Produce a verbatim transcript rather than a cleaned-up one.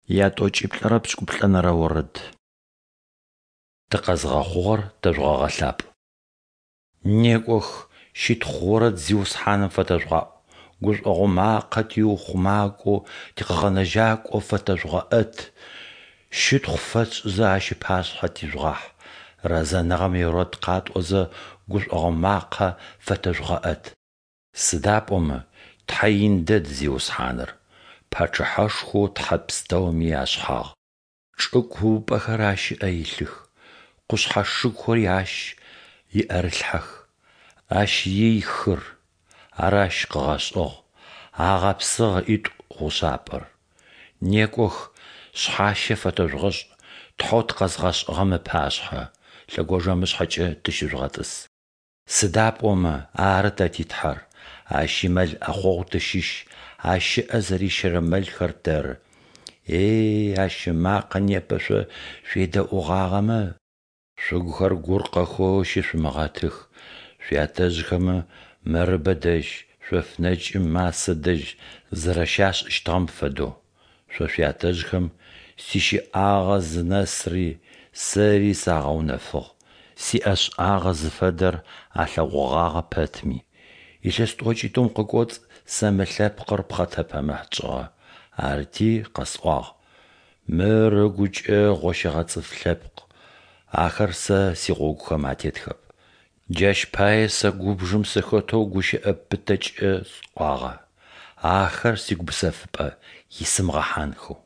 Ятӏокӏиплӏырэ пшӏыкӏуплӏэнэрэ орэд. Тыкъэзгъэхъугъэр тэжъугъэгъэлъапӏ. Некӏох, щытхъу орэд Зиусхьаным фэтэжъугъаӏу, гушӏогъо макъэ тиухъумакӏоу тикъэгъэнэжьакӏо фэтэжъугъэӏэт, щытхъу фэтшӏызэ Ащ ыпашъхьэ тижъугъахь, рэзэныгъэм иорэд къатӏозэ гушӏогъо макъэ фэтэжъугъэӏэт. Сыда пӏомэ Тхьэ ин дэд Зиусхьаныр, Пачъыхьэшхоу тхьэ пстэуми ашъхьагъ. Чӏы куупӏэхэр Ащ ыӏэ илъых, къушъхьэ шыгухэри Ащ иӏэрылъхьэх. Ащ ий хыр, ар Ащ къыгъэшӏыгъ, ыгъэпсыгъ ыӏитӏу гъушъапӏэр. Некӏох, шъхьащэ фэтэжъугъэшӏ Тхьэу тыкъэзгъэшӏыгъэм ыпашъхьэ, лъэгонджэмышъхьэкӏэ тыщыжъугъэтӏыс. Сыда пӏомэ ары тэ ти Тхьэр, Ащ имэл ӏэхъогъу тыщыщ, Ащ ыӏэ зэрищэрэ мэлхэр тэры. Ей, Ащ ымакъэ непэ шъо шъуедэӏугъагъэмэ! Шъугухэр гуркъэхэу щышъумыгъэтых, шъуятэжъхэмэ Мэрыбэ дэжь, шъоф нэкӏым Массэ дэжь зэрэщашӏыщтыгъэм фэдэу. Шъо шъуятэжъхэм сищэӏагъэ зынэсри Сэри сагъэунэфыгъ, сиӏэшӏагъэ зыфэдэр алъэгъугъагъэ пэтми. Илъэс тӏокӏитӏум къыкӏоцӏ Сэ мы лъэпкъыр пхъэтэпэмыхь тшӏыгъэ, арыти къэсӏуагъ: «Мыр ыгукӏэ гъощэгъэ цӏыф лъэпкъ, ахэр Сэ сигъогухэм атетхэп». Джащ пае Сэ губжым сыхэтэу гущыӏэ пытэкӏэ сӏуагъэ: «Ахэр сигупсэфыпӏэ исымыгъэхьанхэу».